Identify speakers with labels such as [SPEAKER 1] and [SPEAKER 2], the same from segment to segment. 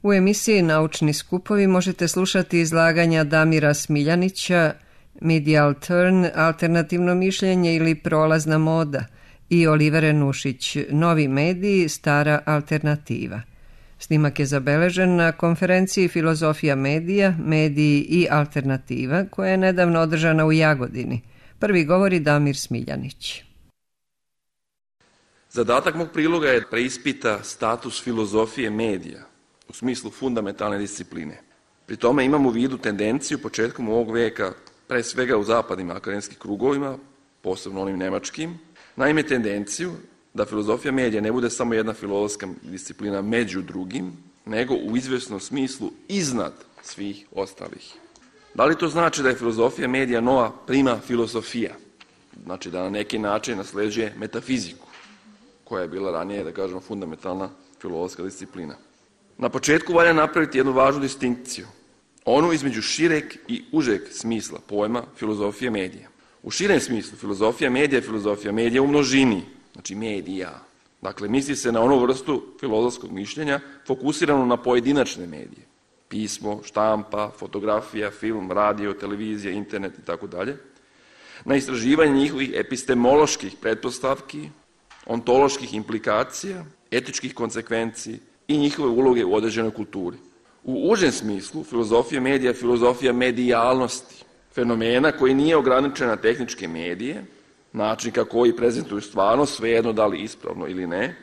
[SPEAKER 1] U emisiji Naučni skupovi možete slušati izlaganja Damira Smiljanića, Medial Turn, alternativno mišljenje ili prolazna moda, i Olivere Nušić, Novi mediji, stara alternativa. Snimak je zabeležen na konferenciji Filozofija medija, mediji i alternativa, koja je nedavno održana u Jagodini. Prvi govori Damir Smiljanić.
[SPEAKER 2] Zadatak mog priloga je preispita status filozofije medija u smislu fundamentalne discipline. Pri tome imam u vidu tendenciju početkom ovog veka, pre svega u zapadnim akademskim krugovima, posebno onim nemačkim, naime tendenciju da filozofija medija ne bude samo jedna filozofska disciplina među drugim, nego u izvjesnom smislu iznad svih ostalih. Da li to znači da je filozofija medija nova prima filosofija? Znači da na neki način nasleđuje metafiziku, koja je bila ranije, da kažemo, fundamentalna filozofska disciplina. Na početku valja napraviti jednu važnu distinkciju, onu između šireg i užeg smisla pojma filozofije medija. U širem smislu filozofija medija u množini, znači medija. Dakle, misli se na onu vrstu filozofskog mišljenja fokusiranu na pojedinačne medije. Pismo, štampa, fotografija, film, radio, televizija, internet itd. Na istraživanje njihovih epistemoloških pretpostavki, ontoloških implikacija, etičkih konsekvenci i njihove uloge u određenoj kulturi. U užem smislu filozofija medija je filozofija medijalnosti, fenomena koji nije ograničen na tehničke medije, način kako koji prezentuju stvarnost, svejedno da li ispravno ili ne,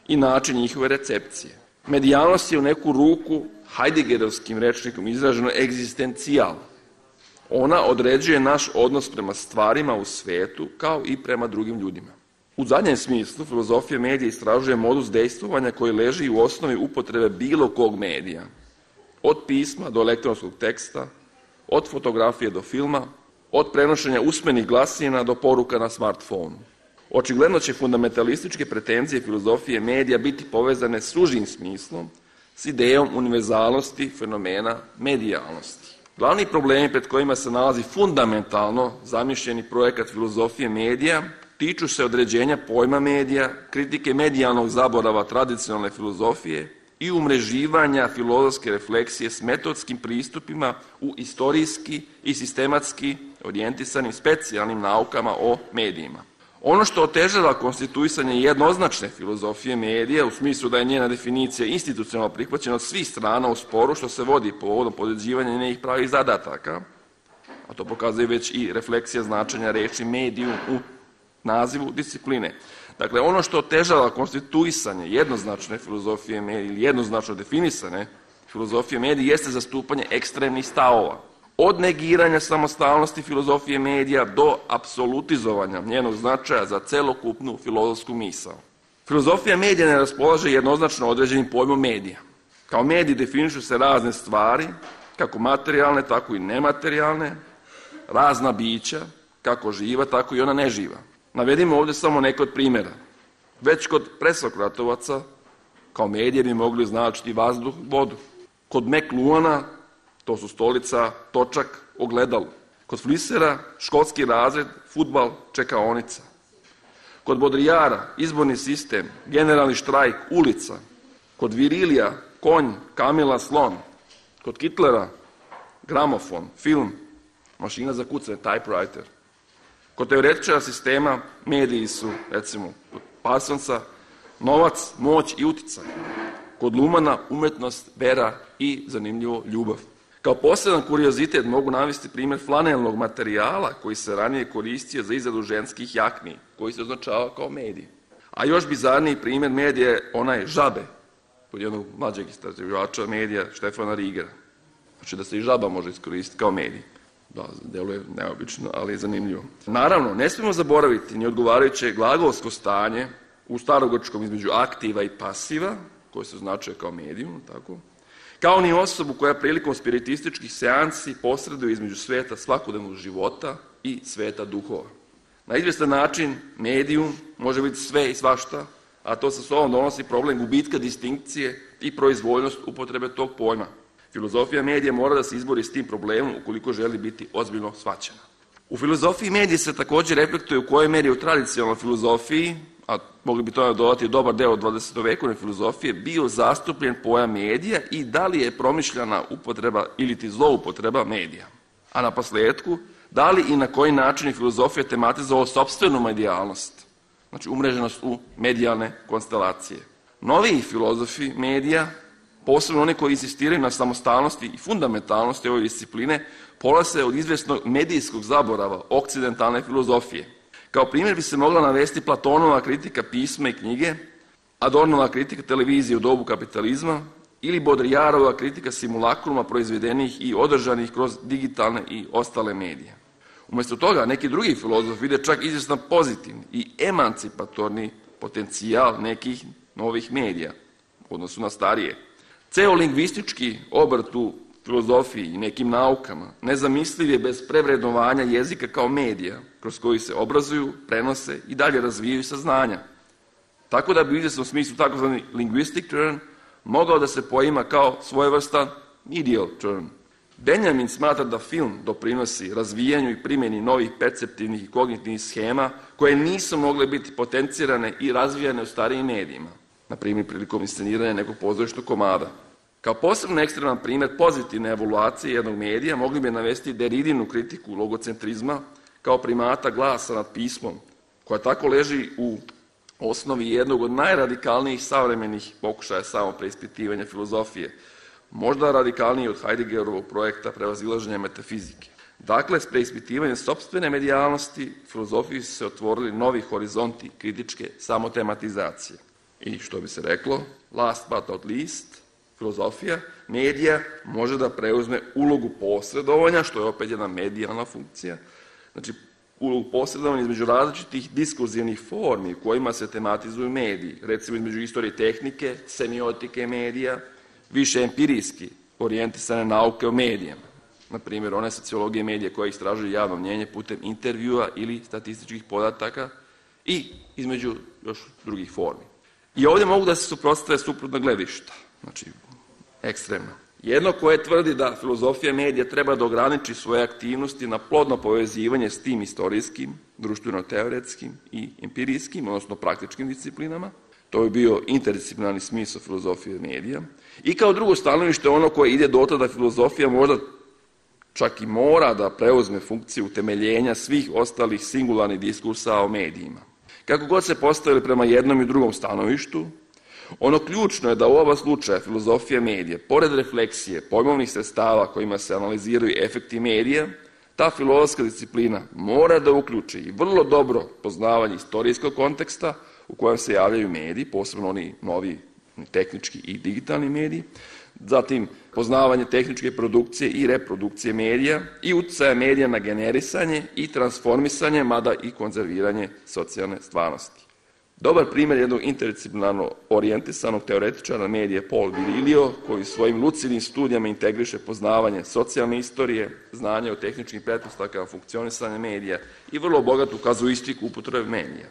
[SPEAKER 2] i način njihove recepcije. Medijalnost je u neku ruku Heideggerovskim rečnikom izraženo egzistencijal. Ona određuje naš odnos prema stvarima u svetu kao i prema drugim ljudima. U zadnjem smislu filozofija medija istražuje modus dejstvovanja koji leži u osnovi upotrebe bilo kog medija, od pisma do elektronskog teksta, od fotografije do filma, od prenošenja usmenih glasina do poruka na smartfonu. Očigledno će fundamentalističke pretenzije filozofije medija biti povezane s užim smislom, s idejom univerzalnosti fenomena medijalnosti. Glavni problemi pred kojima se nalazi fundamentalno zamišljeni projekat filozofije medija tiču se određenja pojma medija, kritike medijalnog zaborava tradicionalne filozofije i umreživanja filozofske refleksije s metodskim pristupima u istorijski i sistematski orijentisanim specijalnim naukama o medijima. Ono što otežava konstituisanje jednoznačne filozofije medija u smislu da je njena definicija institucionalno prihvaćena od svih strana u sporu što se vodi povodom podređivanja njenih pravih zadataka, a to pokazuje već i refleksija značenja reči mediju u nazivu discipline. Dakle, ono što otežava konstituisanje jednoznačne filozofije medija ili jednoznačno definisane filozofije medija jeste zastupanje ekstremnih stavova. Od negiranja samostalnosti filozofije medija do apsolutizovanja njenog značaja za celokupnu filozofsku misao. Filozofija medija ne raspolaže jednoznačno određenim pojmom medija. Kao mediji definišu se razne stvari, kako materijalne, tako i nematerijalne, razna bića, kako živa, tako i ona neživa. Navedimo ovdje samo neke od primjera. Već kod presokratovaca kao medije bi mogli označiti vazduh, vodu. Kod Mekluana to su stolica, točak, ogledalo. Kod Flisera školski razred, fudbal, čekaonica. Kod Bodrijara izborni sistem, generalni štrajk, ulica. Kod Virilija konj, kamila, slon. Kod Kitlera gramofon, film, mašina za kucanje, typewriter. Kod teoretičara sistema mediji su, recimo, kod Parsonsa, novac, moć i uticaj. Kod Lumana umetnost, vera i, zanimljivo, ljubav. Kao poseban kuriozitet mogu navesti primjer flanelnog materijala koji se ranije koristio za izradu ženskih jakni, koji se označava kao medij. A još bizarniji primjer medija je onaj žabe, kod jednog mlađeg istraživača medija Štefana Rigera. Znači da se i žaba može iskoristiti kao medij. Da, deluje neobično, ali je zanimljivo. Naravno, ne smijemo zaboraviti ni odgovarajuće glagolsko stanje u starogrčkom između aktiva i pasiva, koje se označuje kao medijum, tako, kao ni osobu koja prilikom spiritističkih seansi posreduje između sveta svakodnevnog života i sveta duhova. Na izvjestan način medijum može biti sve i svašta, a to sa sobom donosi problem gubitka distinkcije i proizvoljnost upotrebe tog pojma. Filozofija medija mora da se izbori s tim problemom ukoliko želi biti ozbiljno shvaćena. U filozofiji medija se također reflektuje u kojoj meri u tradicionalnoj filozofiji, a mogli bi to dodati dobar deo 20. vekovne filozofije, bio zastupljen pojam medija i da li je promišljena upotreba ili ti zloupotreba medija. A na posledku, da li i na koji način je filozofija tematizovala sopstvenu medijalnost, znači umreženost u medijalne konstelacije. Noviji filozofi medija, posebno oni koji insistiraju na samostalnosti i fundamentalnosti ove discipline, polaze od izvesnog medijskog zaborava okcidentalne filozofije. Kao primjer bi se mogla navesti Platonova kritika pisma i knjige, Adornova kritika televizije u dobu kapitalizma ili Baudrillardova kritika simulakruma proizvedenih i održanih kroz digitalne i ostale medije. Umjesto toga, neki drugi filozofi vide čak izvjestan pozitivni i emancipatorni potencijal nekih novih medija u odnosu na starije. Ceo lingvistički obrt u filozofiji i nekim naukama nezamisliv je bez prevrednovanja jezika kao medija kroz koji se obrazuju, prenose i dalje razvijaju saznanja. Tako da bi u izvjesnom smislu takozvani linguistic turn mogao da se poima kao svojevrstan medial turn. Benjamin smatra da film doprinosi razvijanju i primjeni novih perceptivnih i kognitivnih schema koje nisu mogle biti potencirane i razvijane u starijim medijima, na primjer prilikom insceniranja nekog pozorišnog komada. Kao posebno ekstreman primjer pozitivne evaluacije jednog medija mogli bi navesti Deridinu kritiku logocentrizma kao primata glasa nad pismom, koja tako leži u osnovi jednog od najradikalnijih savremenih pokušaja samopreispitivanja filozofije, možda radikalniji od Heideggerovog projekta prevazilaženja metafizike. Dakle, s preispitivanjem sopstvene medijalnosti filozofiji su se otvorili novi horizonti kritičke samotematizacije. I što bi se reklo, last but not least, filozofija medija može da preuzme ulogu posredovanja, što je opet jedna medijalna funkcija, znači ulogu posredovanja između različitih diskurzivnih formi u kojima se tematizuju mediji, recimo između istorije tehnike, semiotike medija, više empirijski orijentisane nauke o medijama, na primjer one sociologije medija koje istražuju javno mnjenje putem intervjua ili statističkih podataka i između još drugih formi. I ovdje mogu da se suprotstave suprotna gledišta, znači ekstremno. Jedno koje tvrdi da filozofija medija treba da ograniči svoje aktivnosti na plodno povezivanje s tim istorijskim, društveno-teoretskim i empirijskim, odnosno praktičkim disciplinama. To bi bio interdisciplinarni smisao filozofije medija. I kao drugo stanovište ono koje ide do toga da filozofija možda čak i mora da preuzme funkciju utemeljenja svih ostalih singularnih diskursa o medijima. Kako god se postavili prema jednom i drugom stanovištu, ono ključno je da u oba slučaja filozofija medija, pored refleksije pojmovnih sredstava kojima se analiziraju efekti medija, ta filozofska disciplina mora da uključi i vrlo dobro poznavanje istorijskog konteksta u kojem se javljaju mediji, posebno oni novi tehnički i digitalni mediji, zatim poznavanje tehničke produkcije i reprodukcije medija i uticaja medija na generisanje i transformisanje, mada i konzerviranje socijalne stvarnosti. Dobar primjer jednog interdisciplinarno orijentisanog teoretičara medija Paul Virilio, koji svojim lucidnim studijama integriše poznavanje socijalne istorije, znanje o tehničkim pretpostavkama funkcionisanja medija i vrlo bogatu kazuistiku upotrebe medija.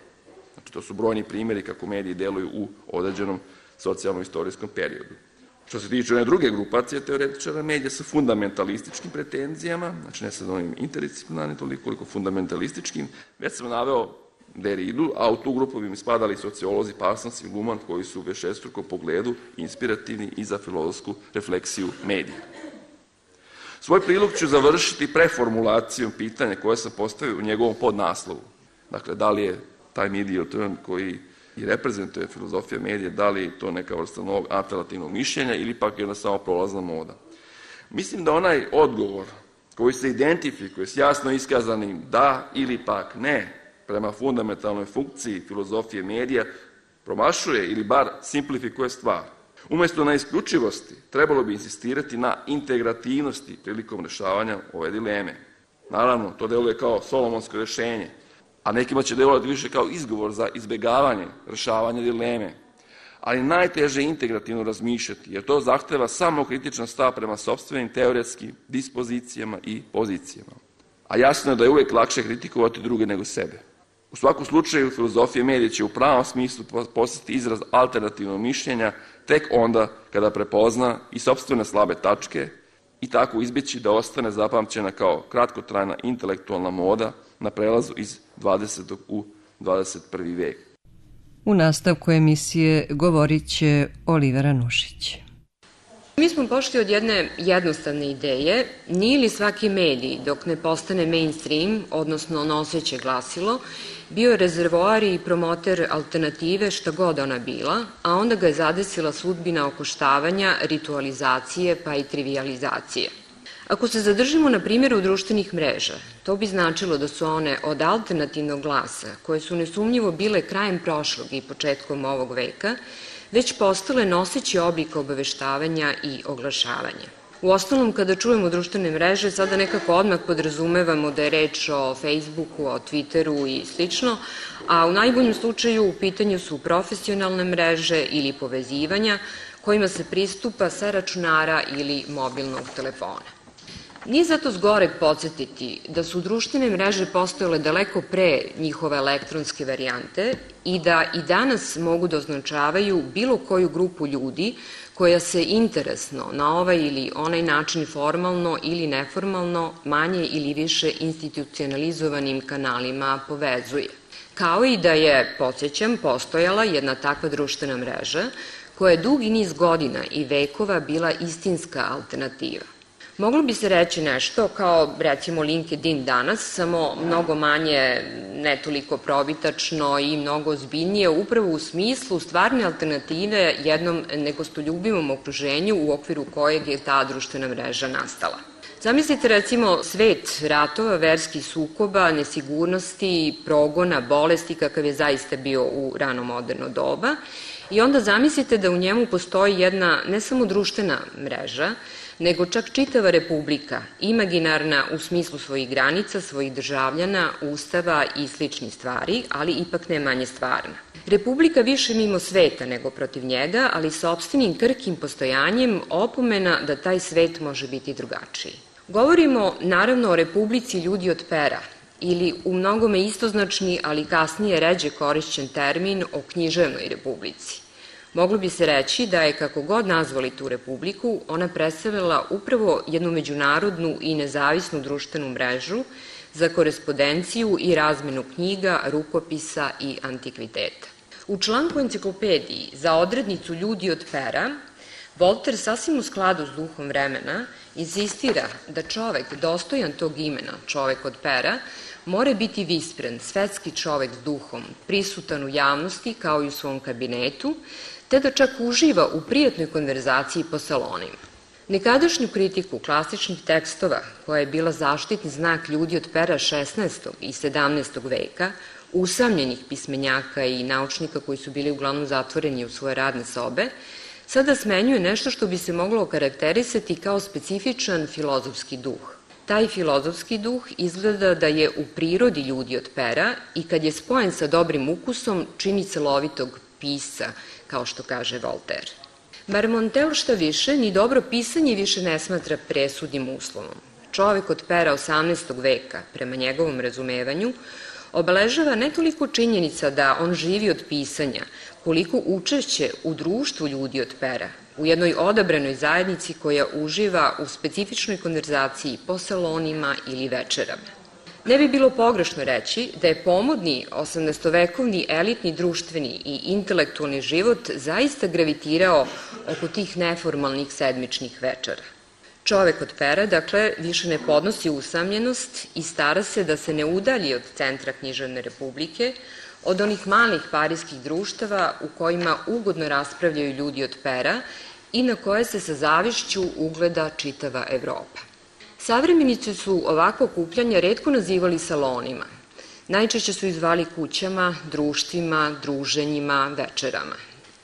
[SPEAKER 2] Znači, to su brojni primjeri kako mediji deluju u određenom socijalno-istorijskom periodu. Što se tiče one druge grupacije teoretičara medija sa fundamentalističkim pretenzijama, znači ne sad onim interdisciplinarnim toliko koliko fundamentalističkim, već sam naveo Derridu, a u tu grupu bi mi spadali sociolozi Parsons i Luhmann, koji su u višestrukom pogledu inspirativni i za filozofsku refleksiju medija. Svoj prilog ću završiti preformulacijom pitanja koje sam postavio u njegovom podnaslovu. Dakle, da li je taj medial turn koji i reprezentuje filozofija medija, da li je to neka vrsta novog alternativnog mišljenja ili pak jedna samo prolazna moda. Mislim da onaj odgovor koji se identifikuje s jasno iskazanim da ili pak ne prema fundamentalnoj funkciji filozofije medija promašuje ili bar simplifikuje stvar. Umjesto na isključivosti trebalo bi insistirati na integrativnosti prilikom rješavanja ove dileme. Naravno, to deluje kao solomonsko rješenje, a nekima će delovati više kao izgovor za izbjegavanje rješavanja dileme. Ali najteže je integrativno razmišljati, jer to zahteva samo kritičan stav prema sopstvenim teoretskim dispozicijama i pozicijama. A jasno je da je uvijek lakše kritikovati druge nego sebe. U svakom slučaju, filozofija medija će u pravom smislu postati izraz alternativnog mišljenja tek onda kada prepozna i sopstvene slabe tačke i tako izbjeći da ostane zapamćena kao kratkotrajna intelektualna moda na prelazu iz 20. u 21. vijek.
[SPEAKER 1] U nastavku emisije govorit će Olivera Nušić.
[SPEAKER 3] Mi smo pošli od jedne jednostavne ideje, nije li svaki medij, dok ne postane mainstream, odnosno noseće glasilo, bio rezervoar i promoter alternative šta god ona bila, a onda ga je zadesila sudbina okoštavanja, ritualizacije pa i trivializacije. Ako se zadržimo na primjeru društvenih mreža, to bi značilo da su one od alternativnog glasa, koje su nesumnjivo bile krajem prošlog i početkom ovog veka, već postale noseći oblik obaveštavanja i oglašavanja. U ostalom, kada čujemo društvene mreže, sada nekako odmah podrazumevamo da je reč o Facebooku, o Twitteru i slično, a u najboljem slučaju u pitanju su profesionalne mreže ili povezivanja kojima se pristupa sa računara ili mobilnog telefona. Nije zato zgoreg podsjetiti da su društvene mreže postojale daleko pre njihove elektronske varijante i da i danas mogu da označavaju bilo koju grupu ljudi koja se interesno na ovaj ili onaj način formalno ili neformalno, manje ili više institucionalizovanim kanalima povezuje. Kao i da je, podsjećam, postojala jedna takva društvena mreža koja je dugi niz godina i vekova bila istinska alternativa. Moglo bi se reći nešto kao, recimo, LinkedIn danas, samo mnogo manje, ne toliko probitačno i mnogo ozbiljnije, upravo u smislu stvarne alternative jednom negostoljubivom okruženju u okviru kojeg je ta društvena mreža nastala. Zamislite, recimo, svet ratova, verskih sukoba, nesigurnosti, progona, bolesti, kakav je zaista bio u rano moderno doba, i onda zamislite da u njemu postoji jedna ne samo društvena mreža, nego čak čitava republika, imaginarna u smislu svojih granica, svojih državljana, ustava i sličnih stvari, ali ipak ne manje stvarna. Republika više mimo sveta nego protiv njega, ali sa opštinim krhkim postojanjem opomena da taj svet može biti drugačiji. Govorimo naravno o Republici ljudi od pera, ili u mnogome istoznačni, ali kasnije ređe korišćen termin o književnoj republici. Moglo bi se reći da je, kako god nazvali tu republiku, ona predstavljala upravo jednu međunarodnu i nezavisnu društvenu mrežu za korespondenciju i razmenu knjiga, rukopisa i antikviteta. U članku enciklopediji za odrednicu ljudi od pera, Volter sasvim u skladu s duhom vremena insistira da čovek dostojan tog imena, čovek od pera, mora biti vispren, svetski čovek s duhom, prisutan u javnosti kao i u svom kabinetu, te da čak uživa u prijatnoj konverzaciji po salonima. Nekadašnju kritiku klasičnih tekstova, koja je bila zaštitni znak ljudi od pera 16. i 17. veka, usamljenih pismenjaka i naučnika koji su bili uglavnom zatvoreni u svoje radne sobe, sada smenjuje nešto što bi se moglo okarakterisati kao specifičan filozofski duh. Taj filozofski duh izgleda da je u prirodi ljudi od pera i kad je spojen sa dobrim ukusom čini celovitog pisca, kao što kaže Voltaire. Marmontel šta više, ni dobro pisanje više ne smatra presudnim uslovom. Čovek od pera 18. veka, prema njegovom razumevanju, obeležava ne toliko činjenica da on živi od pisanja, koliko učešće u društvu ljudi od pera, u jednoj odabranoj zajednici koja uživa u specifičnoj konverzaciji po salonima ili večerama. Ne bi bilo pogrešno reći da je pomodni 18-vekovni elitni društveni i intelektualni život zaista gravitirao oko tih neformalnih sedmičnih večera. Čovek od pera, dakle, više ne podnosi usamljenost i stara se da se ne udalji od centra književne republike, od onih malih parijskih društava u kojima ugodno raspravljaju ljudi od pera i na koje se sa zavišću ugleda čitava Evropa. Savremenici su ovako okupljanja retko nazivali salonima. Najčešće su ih zvali kućama, društvima, druženjima, večerama.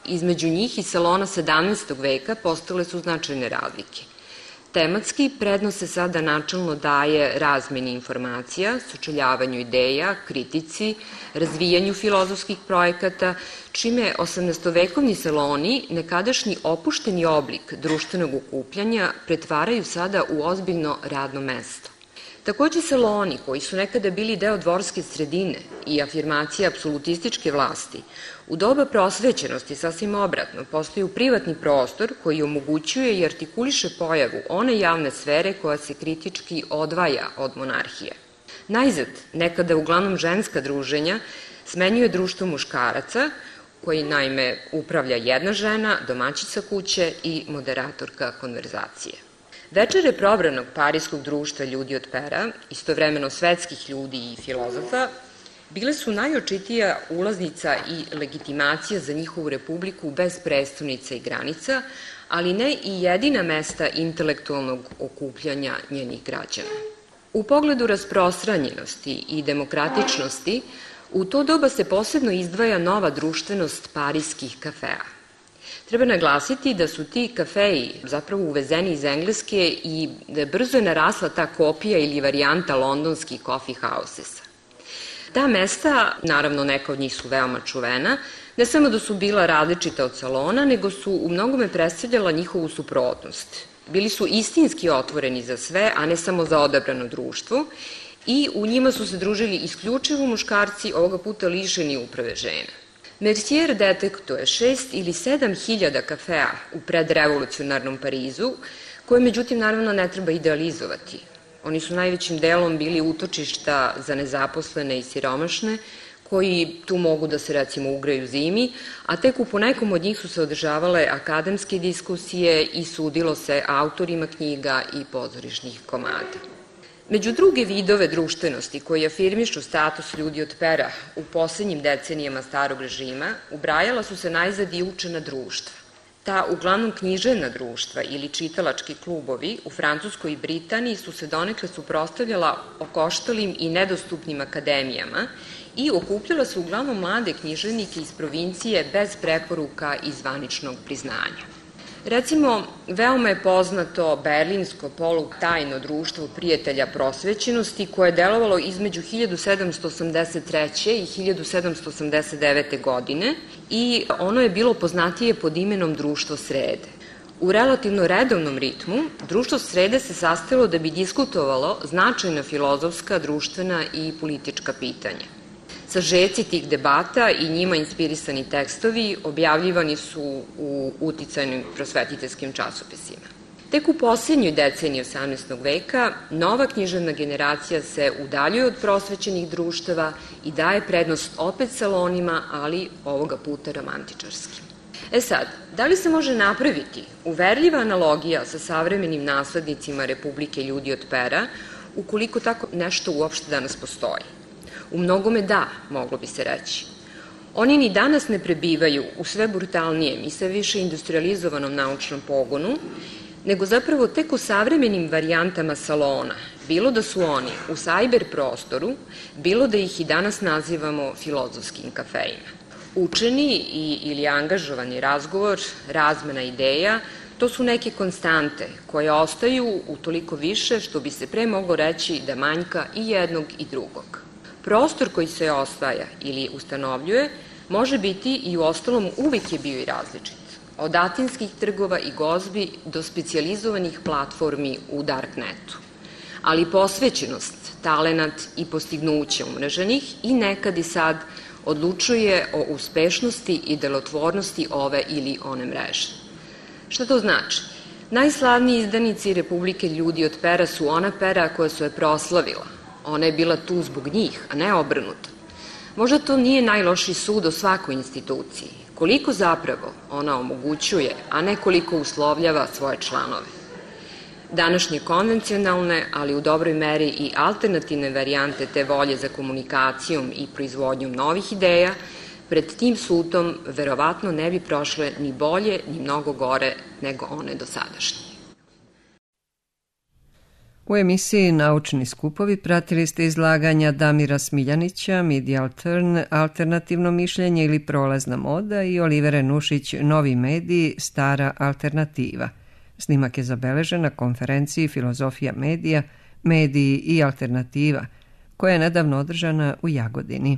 [SPEAKER 3] Između njih i salona 17. veka postale su značajne razlike. Tematski prednost se sada načelno daje razmeni informacija, sučeljavanju ideja, kritici, razvijanju filozofskih projekata, čime 18-vekovni saloni, nekadašnji opušteni oblik društvenog okupljanja, pretvaraju sada u ozbiljno radno mesto. Takođe, saloni, koji su nekada bili deo dvorske sredine i afirmacija apsolutističke vlasti, u doba prosvećenosti, sasvim obratno, postaju privatni prostor koji omogućuje i artikuliše pojavu one javne sfere koja se kritički odvaja od monarhije. Najzad, nekada uglavnom ženska druženja, smenjuje društvo muškaraca, koji naime upravlja jedna žena, domaćica kuće i moderatorka konverzacije. Večere probranog parijskog društva ljudi od pera, istovremeno svetskih ljudi i filozofa, bile su najočitija ulaznica i legitimacija za njihovu republiku bez prestonica i granica, ali ne i jedina mesta intelektualnog okupljanja njenih građana. U pogledu rasprostranjenosti i demokratičnosti, u to doba se posebno izdvaja nova društvenost parijskih kafea. Treba naglasiti da su ti kafeji zapravo uvezeni iz Engleske i brzo je narasla ta kopija ili varijanta londonskih coffee housesa. Ta mesta, naravno neka od njih su veoma čuvena, ne samo da su bila različita od salona, nego su u mnogome predstavljala njihovu suprotnost. Bili su istinski otvoreni za sve, a ne samo za odabrano društvo, i u njima su se družili isključivo muškarci, ovoga puta lišeni uprave žena. Mercier detektuje 6 ili 7 hiljada kafea u predrevolucionarnom Parizu, koje međutim naravno ne treba idealizovati. Oni su najvećim delom bili utočišta za nezaposlene i siromašne, koji tu mogu da se recimo ugreju zimi, a tek u ponekom od njih su se održavale akademske diskusije i sudilo se autorima knjiga i pozorišnih komada. Među druge vidove društvenosti koji afirmišu status ljudi od pera u poslednjim decenijama starog režima, ubrajala su se najzad i učena društva. Ta uglavnom književna društva ili čitalački klubovi u Francuskoj i Britaniji su se donekle suprotstavljala okoštalim i nedostupnim akademijama i okupljala su uglavnom mlade književnike iz provincije bez preporuka i zvaničnog priznanja. Recimo, veoma je poznato berlinsko polutajno društvo prijatelja prosvećenosti koje je delovalo između 1783. i 1789. godine i ono je bilo poznatije pod imenom Društvo srede. U relativno redovnom ritmu, Društvo srede se sastojalo da bi diskutovalo značajna filozofska, društvena i politička pitanja. Sažeci tih debata i njima inspirisani tekstovi objavljivani su u uticajnim prosvetiteljskim časopisima. Tek u posljednjoj deceniji 18. veka nova književna generacija se udaljuje od prosvećenih društava i daje prednost opet salonima, ali ovoga puta romantičarskim. Sad, da li se može napraviti uverljiva analogija sa savremenim naslednicima Republike ljudi od pera, ukoliko tako nešto uopšte danas postoji? U mnogome da, moglo bi se reći. Oni ni danas ne prebivaju u sve brutalnijem i sve više industrializovanom naučnom pogonu, nego zapravo tek u savremenim varijantama salona, bilo da su oni u sajber prostoru, bilo da ih i danas nazivamo filozofskim kafejima. Učeni ili angažovani razgovor, razmena ideja, to su neke konstante koje ostaju utoliko više što bi se pre moglo reći da manjka i jednog i drugog. Prostor koji se osvaja ili ustanovljuje može biti i u ostalom uvijek je bio i različit. Od atinskih trgova i gozbi do specijalizovanih platformi u darknetu. Ali posvećenost, talenat i postignuće umreženih i nekad i sad odlučuje o uspešnosti i delotvornosti ove ili one mreže. Šta to znači? Najslavniji izdanici Republike ljudi od pera su ona pera koja su je proslavila. Ona je bila tu zbog njih, a ne obrnuto. Možda to nije najlošiji sud o svakoj instituciji. Koliko zapravo ona omogućuje, a ne koliko uslovljava svoje članove. Današnje konvencionalne, ali u dobroj meri i alternativne varijante te volje za komunikacijom i proizvodnjom novih ideja, pred tim sudom verovatno ne bi prošle ni bolje, ni mnogo gore nego one dosadašnje.
[SPEAKER 1] U emisiji Naučni skupovi pratili ste izlaganja Damira Smiljanića, Medial Turn, Alternativno mišljenje ili prolazna moda i Olivere Nušić, Novi mediji, Stara alternativa. Snimak je zabeležen na konferenciji Filozofija medija, mediji i alternativa, koja je nedavno održana u Jagodini.